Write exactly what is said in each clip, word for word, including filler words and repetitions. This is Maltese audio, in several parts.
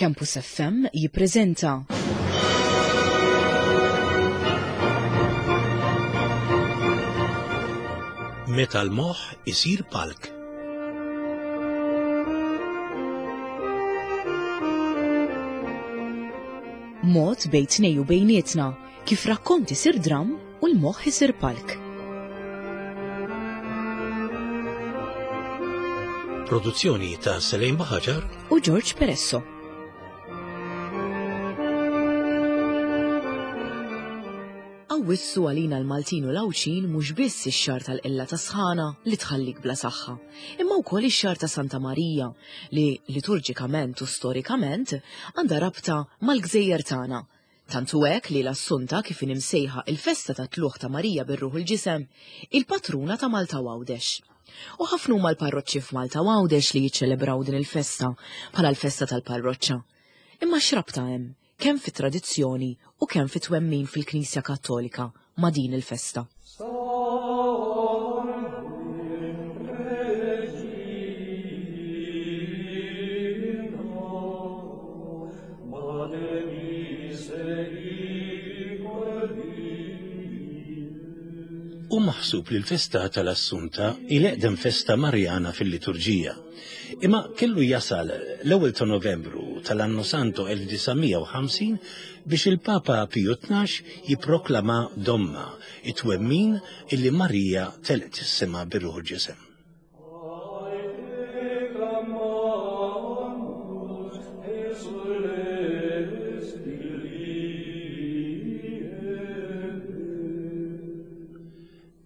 Campus F M jippreżenta Meta l-moħħ isir palk. Mod bejn tnejn u bejnietna kif rakkont isir dram u l-moħħ isir palk. Produzzjoni ta' Selejn Baħaġar u George Peresso. Awwissu għalina l-Maltin u l-Għawdxin mhux biss ix-xahar tal-qilla ta' sħana li tħallik bla saħħa, imma wkoll ix-xahar ta' Santa Marija li liturġikament u storikament għandha rabta mal-gżejjer tagħna. Tantu hekk li l-Assunta, kif imsejħa il-festa ta' tlugħ ta' Marija bir-ruħ il-ġisem, il-patruna ta' Malta u Għawdex. U ħafna huma l-parroċċi f'Malta u Għawdex li jiċċelebraw din il-festa bħala l-festa tal-parroċċa. Imma x'rabta hemm kemm fit-tradizzjoni u kemm fit-twemmin fil-Knisja Kattolika ma' din il-festa? U maħsub li l-festa tal-Assunta hi l-eqdem festa Marjana fil-liturġija. Imma kellu jasal l-ewwel ta' Novembru tal-Anno Santo elf disa' mija u ħamsin biex il-Papa Piju Tnax jipproklama domma it-twemmin illi Marija telqet is-sema bir-ruħ ġisem.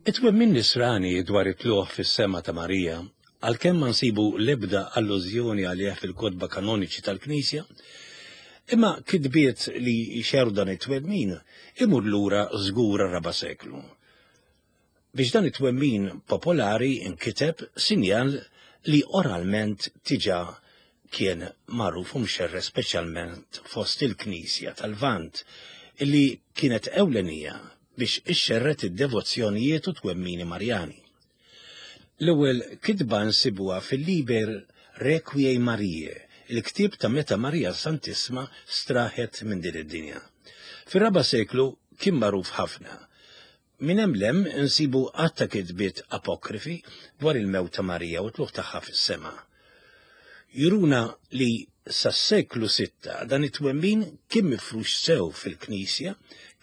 It-twemmin nisrani dwar it-tluħ fis-sema ta' Marija, għalkemm ma nsibu l-ebda allużjoni għalih fil-kotba kanoniċi tal-Knisja, imma kitbiet li jxerrdu dan it-twemmin imur lura żgur raba' seklu. Biex dan it-twemmin popolari inkiteb, sinjal li oralment diġà kien magħruf u mxerred, speċjalment fost il-Knisja tal-Lvant, illi kienet ewlenija biex ixxerred id-devozzjonijiet u twemmini Marjani. L-ewwel kitba nsibuha fil-Liber Requiei Mariae, il-ktib ta' meta Marija Santissma straħet minn din id-dinja. Fir-raba' seklu kien magħruf ħafna. Minn hemm 'l hemm insibu għadd ta' kitbiet apokrifi dwar il-mewt ta' Marija u tlugħ tagħha fis-sema. Juruna li sas-seklu sitta dan it-twemmin kien mifrux sew fil-Knisja,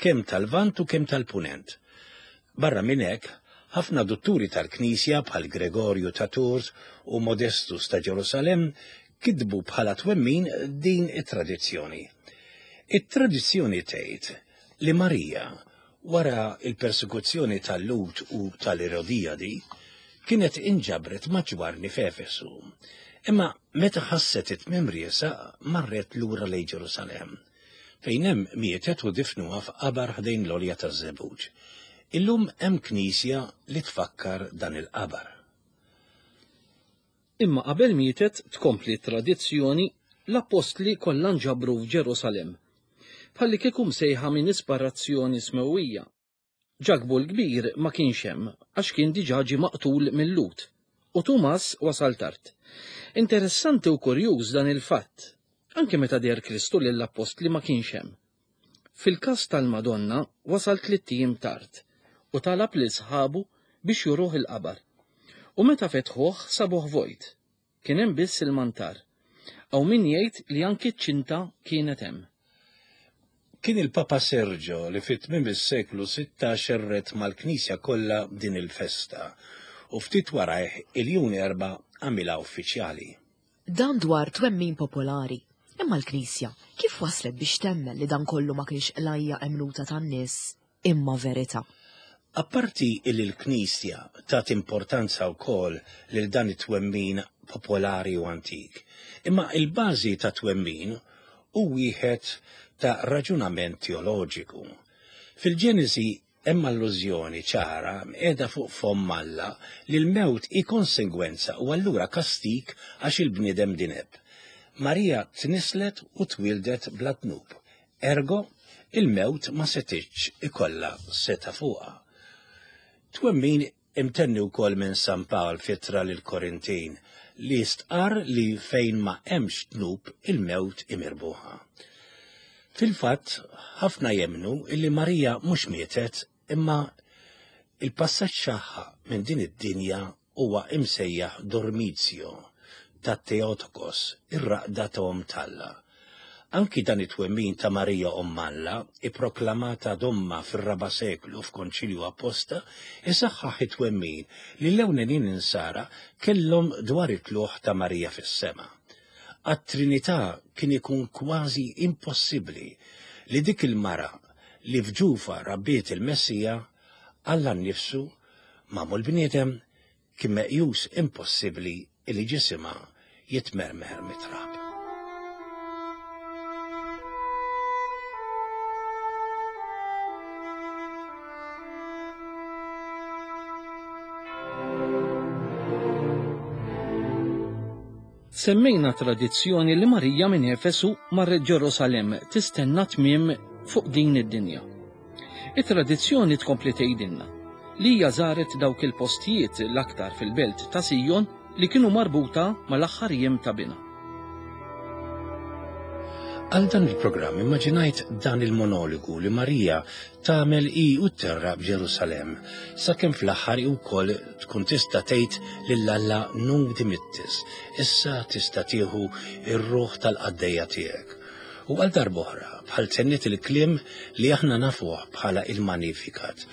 kemm tal-Lvant u kemm tal-Punent. Barra minn hekk, ħafna dutturi tal-Knisja bħal Gregorju ta' Tours u Modestus ta' Ġerusalem kitbu bħala twemmin din it-tradizzjoni. It-tradizzjoni tgħid li Marija, wara il-persekuzzjoni tal-Lhud u tal-Erodijadi, kienet inġabret ma' Ġwanni f'Efesu. Imma meta ħasset it-tmiem riesaq, marret lura lejn Ġerusalem, fejn hemm mietet u difnuha f'qabar ħdejn l-għolja taż-Żebbuġ. Illum hemm knisja li tfakkar dan il-qabar. Imma qabel mietet, tkompli tradizzjoni, l-appostli kollha nġabru f'Ġerusalem. Bħalli kieku msejħa minn ispirazzjoni smewwija. Ġakbu l-kbir ma kienx hemm għax kien diġà ġie maqtul mil-Lhud u Tumas wasal tard. Interessanti u kurjuż dan il-fatt, anke meta deher Kristu lill-appostli ma kienx hemm. Fil-każ tal-Madonna wasal tlitt ijiem tard u talab lil sħabu biex juruh il-qabar. U meta fetħuh sabuh vojt. Kien hemm biss il-mantar. Hawn min jgħid li anki ċ-ċinta kienet hemm. Kien il-Papa Sergio li fit-tmiem is-seklu sitta xerred mal-Knisja kollha din il-festa u ftit warajh Iljun Erba' għamilha uffiċjali. Dan dwar twemmin popolari. Imma l-Knisja kif waslet biex temmen li dan kollu ma kienx qlajja emnuta tan-nies imma verità? Apparti illi l-Knisja tat importanza wkoll lil dan it-twemmin popolari u antik, imma il-bażi ta' twemmin hu wieħed ta' raġunament teoloġiku. Fil-Ġenesi hemm allużjoni ċara qiegħda fuq fomm Alla li l-mewt hi konsegwenza u allura kastik għax il-bniedem dineb. Marija tnislet u twildet bla dnub. Ergo, il-mewt ma setitx ikollha setgħa fuqha. Twemmin Imtenni wkoll minn San Pawl f'ittra lill-Korintin li stqarr li fejn ma hemmx dnub il-mewt hi mirbuħa. Fil-fatt, ħafna jemmnu illi Marija mhux mietet imma il-passaġġ tagħha minn din id-dinja huwa imsejjaħ dormizio ta' Theotokos, ir-raqda ta' Omm t'Alla. Anki dan it-twemmin ta' Marija Omm Alla, ipproklamata domma fir-raba' seklu f'konċilju apposta, isaħħaħ it-twemmin li l-ewlenin insara kellhom dwar it-tlugħ ta' Marija fis-sema. Għat-Trinità kien ikun kważi impossibbli li dik il-mara li f'ġufa rabbiet il-Messija, Alla nnifsu, magħmul bniedem, kien meqjus impossibbli li ġisimha jitmermer mit-trab. Semmejna tradizzjoni li Marija minn Efesu marret Ġerusalemm tistenna tmiem fuq din id-dinja. It-tradizzjoni tkompli tgħidilna li hija żaret dawk il-postijiet l-aktar fil-belt ta' Sijon li kienu marbuta mal-aħħar jiem ta' binha. Għal dan il-programm immaġinajt dan il-monologu li Marija tagħmel hi u tterraq b'Ġerusalemm, sakemm fl-aħħar hi wkoll tkun tista' tgħid lil Alla nunc dimittis, issa tista' tieħu r-ruħ tal-qaddejja tiegħek. U għal darb'oħra bħal tenniet il-kliem li aħna nafuh bħala il-Magnificat,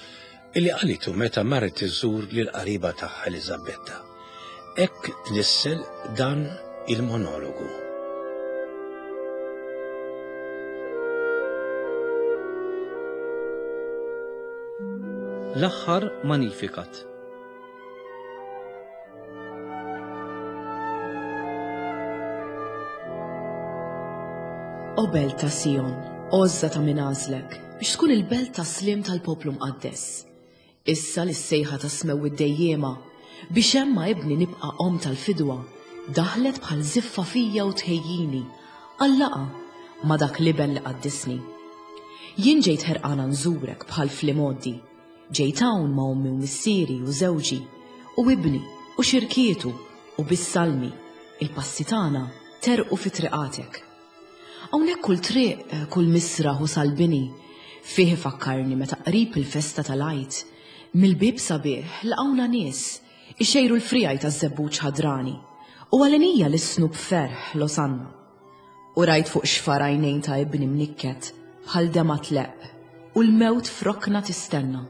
illi qalitu meta marret iżżur lil qariba tagħha Eliżabetta. Hekk tnissel dan il-monologu. L-aħħar Magnificat. O belt ta' Sion, għożża ta' min għażlek, biex tkun il-belt ta' slim tal-poplu mqaddes. Issa li s-sejħa ta' smew id-dejjema, biex hemm ma' ibni nibqa' omm tal-fidwa, daħlet bħal żiffa fija u tħejjini, għal-laqgħa ma' dak l-iben li qaddisni. Jien ġejt ħerqana nżurek bħal fl-imgħoddi. Ġejt hawn ma' ommi u missieri u żewġi, u ibni u xirkietu u bis-salmi, il-passi tagħna terqu fi triqatek. Hawnhekk kull triq, kull misraħ u salbini, fih ifakkarni meta qrib il-festa tal-Għid, mill-bieb sabiħ laqgħuna nies, ixejru l-frijaj taż-żebbuġ ħadrani, u għalenija l-isnu b'ferħ Losanna. U rajt fuq xfar għajnejn ta' ibni mnikket, bħal dema tleq, u l-mewt f'rokna tistenna.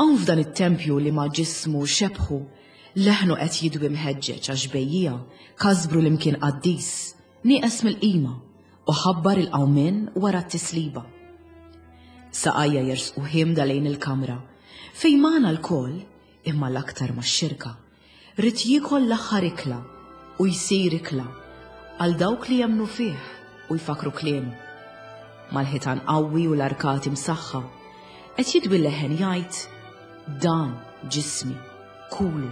Hawn f'dan it-tempju li ma' ġismu xebħu, leħnu qed jidwi mħeġġeġ għax bejjija kasbru l-imkien qaddis, nieqes mill-qima u ħabbar il-qawmien wara t-tisliba. Saqajja jersqu ħimda lejn il-kamra, fejn magħna lkoll, imma l-aktar max-xirka, rid jiekol l-aħħar ikla u jsir ikla għal dawk li jemmnu fih u jfakru kliemu. Mal-ħitan qawwi u l-arkati msaħħa, qed jidwi leħen jgħid, dan ġismi, kulu.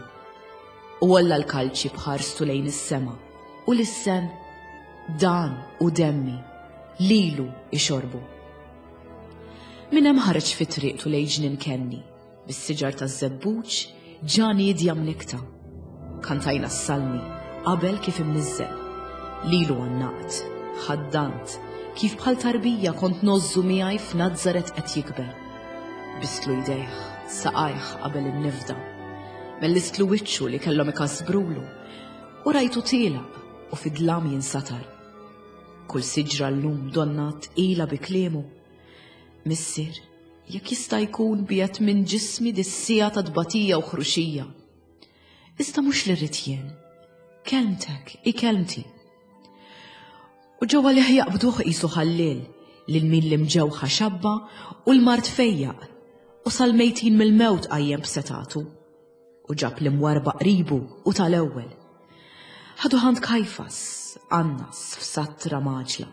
U għolla l-kalċi bħarstu lejn is-sema u lissen, dan u demmi, lilu ixorbu. Minn hemm ħareġ fi triqtu lejn ġnien Kenni, bis-siġar taż-żebbuġ ġa niedja mnikta. Kantajna s-salmi qabel kif imniżżel. Lilu għannaqt, ħaddant, kif bħal tarbija kont nożżu miegħi f'Nazaret qed jikber. Bistlu jdejh, saqajh qabel in-nifda. Mellistlu wiċċu li kellhom ikasbrulu u rajtu tielaq u fid-dlam jinsatar. Kull siġra llum donna tqila bi kliemu. Missier, jekk jista' jkun biegħed minn ġismi dis-siegħa ta' tbatija u ħruxija. Iżda mhux li rrid jien, kelmtek hi kelmti. U ġewwa lih jaqbduh qisu ħalliel lil min l-imġewħa xabba u l-mard fejjaq u sal-mejtin mill-mewt qajjem b'setatu u ġab l-imwarba qribu u tal-ewwel. Ħadu ħand Kajfas, Annas f'satra maġla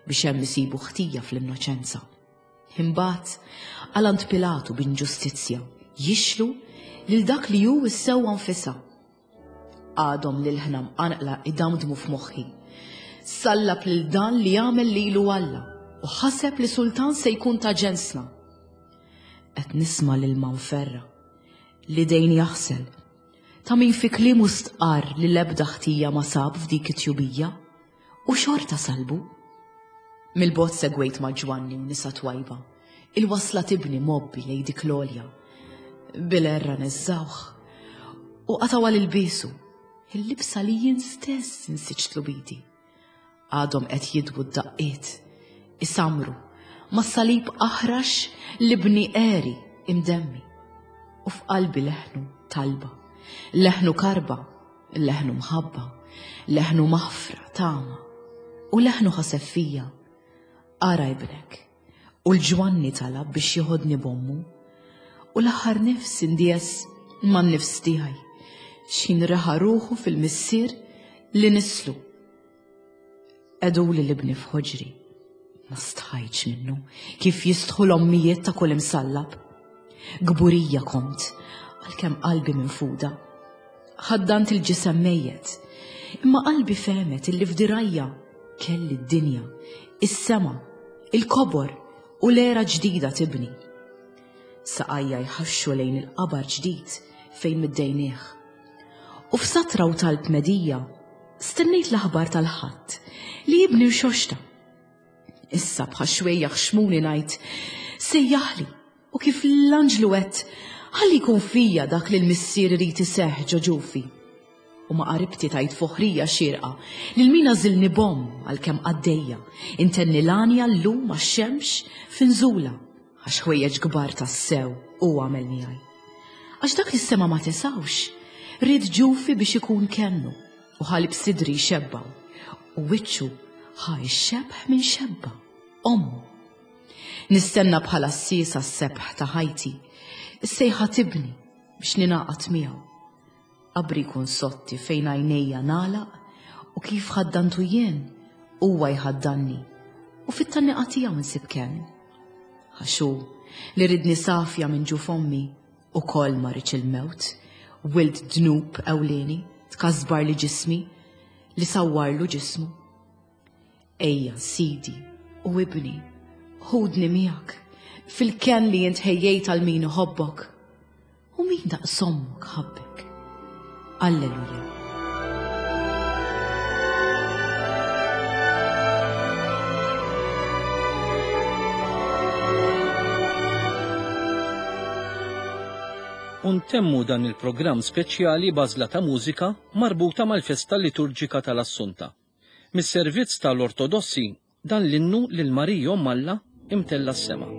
biex hemm isibu ħtija fl-innoċenza. Imbagħad għal għand Pilatu b'inġustizzja jixlu lil dak li hu s-sewwa nfisha. Għadhom lil ħna mqanqla idamdmu f'moħħi. Sallab lil dan li għamel lilu Alla u ħaseb li sultan se jkun ta' ġensna. Qed nisma' lil manferra. L-idejn jaħsel, ta' min fi kliemu stqarr li l-ebda ħtija ma sab f'dik it-tjubija, u xorta salbu. Mill-bogħod segwejt ma' Ġwanni u nisa twajba, il-wasla tibni mobbi lejn dik l-għolja. Bil-erra neżżawh u qatgħu l-ilbiesu, il-libsa li jien stess insiġtlu bidi. Għadhom qed jidwu d-daqqiet, isamru, mas-salib aħrax li bni għeri imdemmi. U f'qalbi leħnu talba, leħnu karba, leħnu mħabba, leħnu maħfra, tama, u leħnu ħaseb fija. Ara ibnek, u l-Ġwanni talab biex joħodni b'ommu, u l-aħħar nifs indies man-nifs tiegħi, x'ħin reħa ruħu fil-missier li nislu. Qegħduli l-ibni f'ħoġri, ma stħajtx minnu, kif jistħu l-ommijiet ta' kull imsallab. Gburija kont, għalkemm qalbi minfuda. Ħaddant il-ġisem mejjet, imma qalbi fehmet illi f'dirajja kelli d-dinja, is-sema, il-kobor u l-era ġdida tibni. Saqajja jħaxxu lejn il-qabar ġdid fejn middejnieh. U f'satra u talb medija, stennejt l-aħbar tal-ħadd li jibni rxoxta. Issa bħax xwejjaħ xmuni ngħid, sejjaħli, u kif l-anġlu għedt, ħalli jkun fija dak li l-missier irid iseħħ ġo ġufi. U ma qaribti tajt foħrija xierqa lil min għażilni b'omm għalkemm qaddejja, intenni l-għanja llum għax-xemx f'inżula, għax ħwejjeġ kbar tassew u għamel miegħi. Għax dak li s-sema ma tesawx, ried ġufi biex ikun kennu, u ħalib sidri xebbaw, u wiċċu ħa x-xebħ minn xebba, ommu. Nistenna bħala s-siesa s-sebħ ta' ħajti, is-sejħa tibni biex ninaqat miegħu. Qabri jkun sotti fejn għajnejja nagħlaq, u kif ħaddantu jien, huwa jħaddanni, u fit-tanniqa tiegħu nsib kenn. Għax hu li ridni safja minn ġuf ommi, ukoll ma riedx il-mewt, wild dnub ewlieni, tkasbar li ġismi, li sawwarlu ġismu. Ejja, Sidi u ibni, ħudni miegħek fil-kenn li int ħejjejt għal min iħobbok, u min daqs ommok ħabbek. Alleluja. U ntemmu dan il-programm speċjali b'għażla ta' mużika marbuta mal-festa liturġika tal-Assunta. Mis-servizz tal-Ortodossi dan l-innu lil Marija Omm Alla imtella s-sema.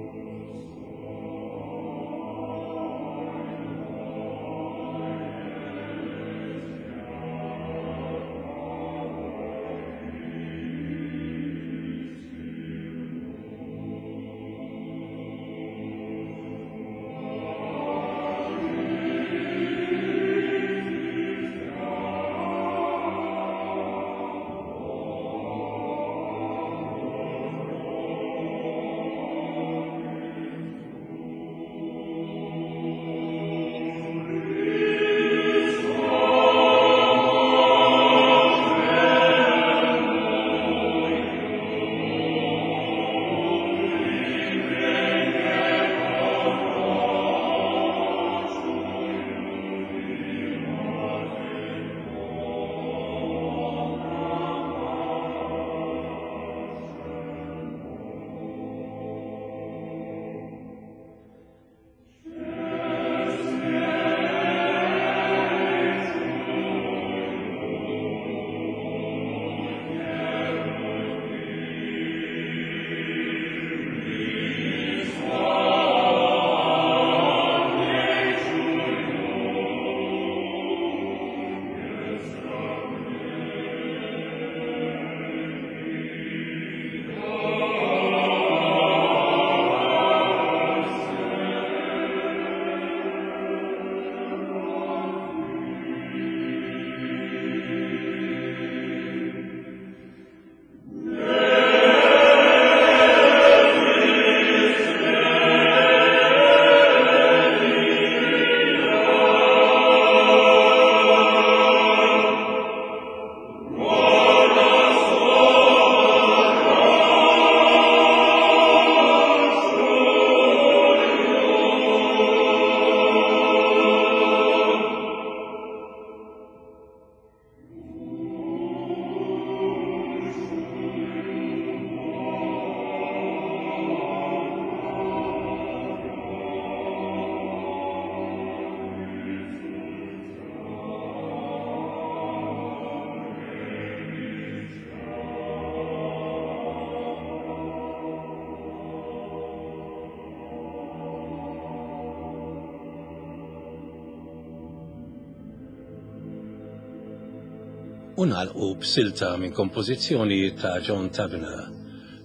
U nagħlqu b'silta minn kompożizzjoni ta' John Tavener,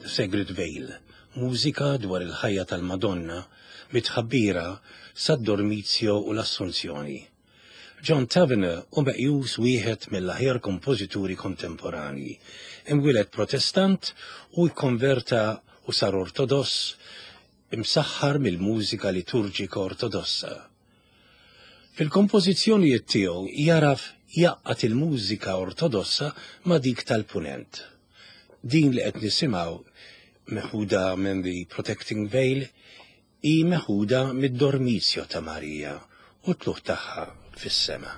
The Sacred Veil, mużika dwar il-ħajja tal-Madonna mit-tħabbira sad-Dormizio u l-Assunzjoni. John Tavener hu meqjus wieħed mill-aħjar kompożituri kontemporanji. Imwieled Protestant u jkonverta u sar Ortodoss imsaħħar mill-mużika liturġika Ortodossa. Fil-kompożizzjonijiet tiegħu jagħraf jgħaqqad il-mużika Ortodossa ma' dik tal-Punent. Din li qed nisimgħu meħuda minn The Protecting Veil hi meħuda mid-Dormizio ta' Marija u t-tlugħ tagħha fis-sema.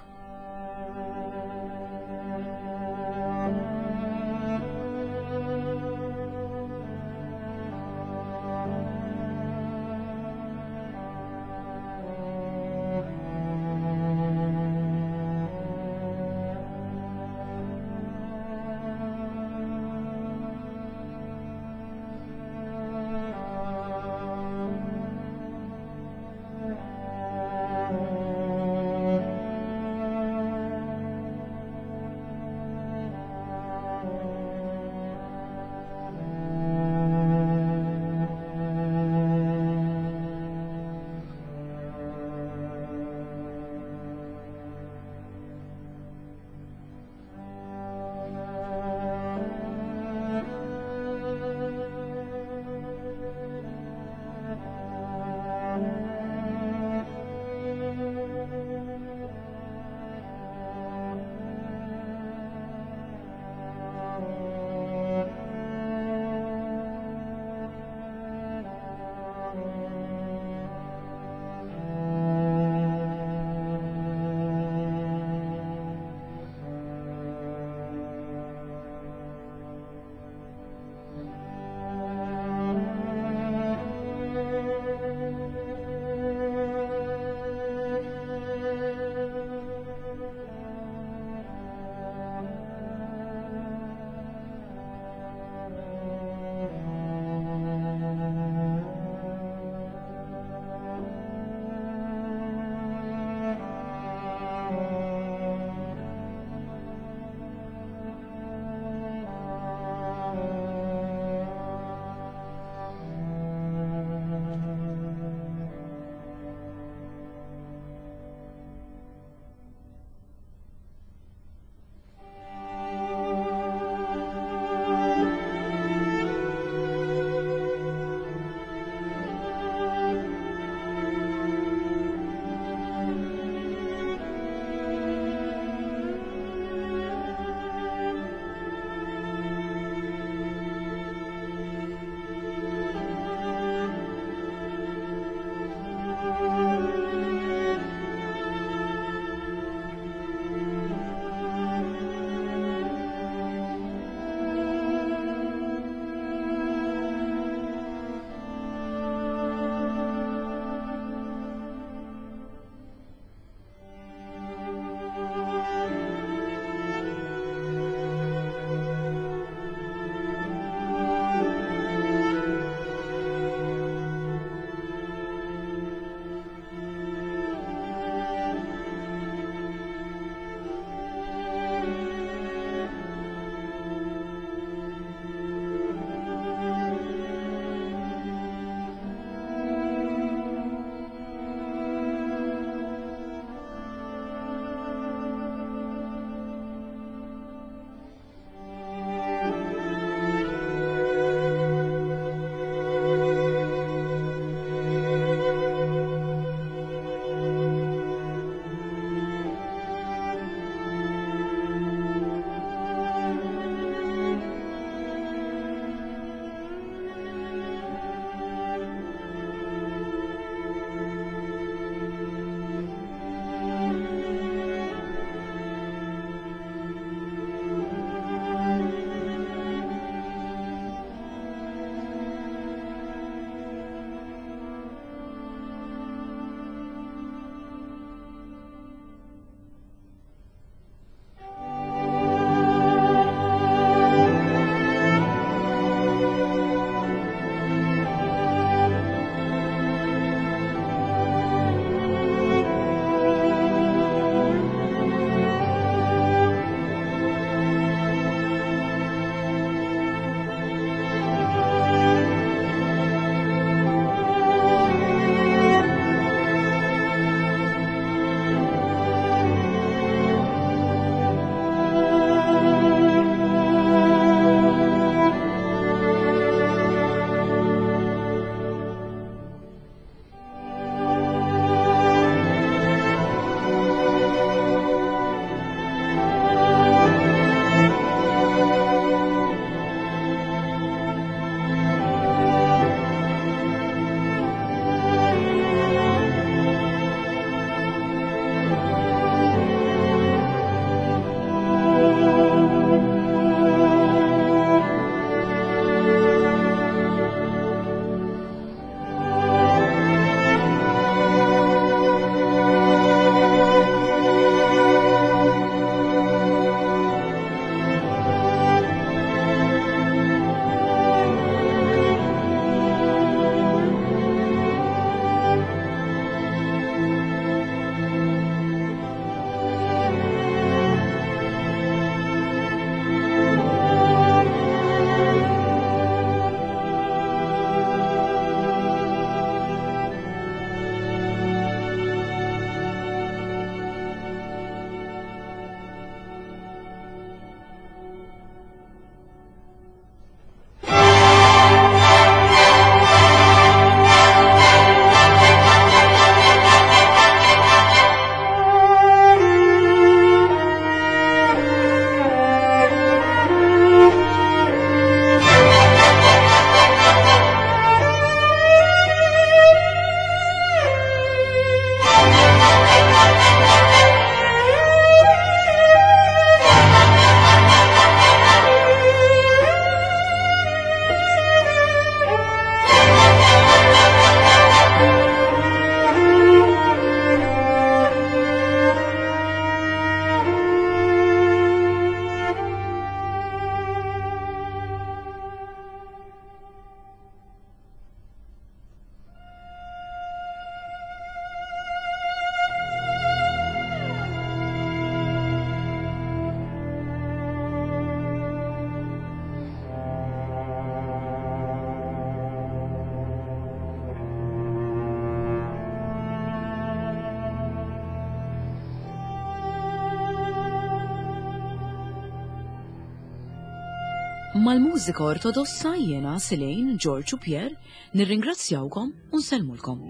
Mal-mużika ortodossa jiena Silejn, George u Pierre nirringrazzjawkom u nsellmulkom.